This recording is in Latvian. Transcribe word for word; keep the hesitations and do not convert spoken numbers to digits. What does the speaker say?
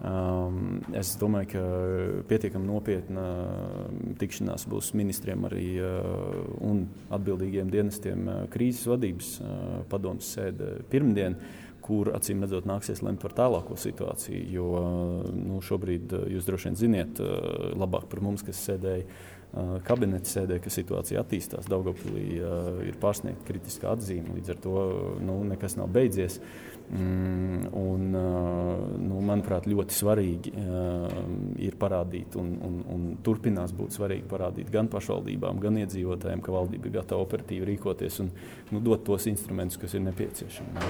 Um, es domāju, ka pietiekami nopietna tikšanās būs ministriem arī uh, un atbildīgiem dienestiem uh, krīzes vadības uh, padomes sēde pirmdien, kur acīm redzot nāksies lemt par tālāko situāciju, jo nu, šobrīd jūs droši vien ziniet labāk par mums, kas sēdēja kabineta sēdē, ka situācija attīstās. Daugavpilī ir pārsniegta kritiskā atzīme, līdz ar to nu, nekas nav beidzies. Un, nu, manuprāt, ļoti svarīgi ir parādīt un, un, un turpinās būt svarīgi parādīt gan pašvaldībām, gan iedzīvotājiem, ka valdība ir gatava operatīvi rīkoties un nu, dot tos instrumentus, kas ir nepieciešami.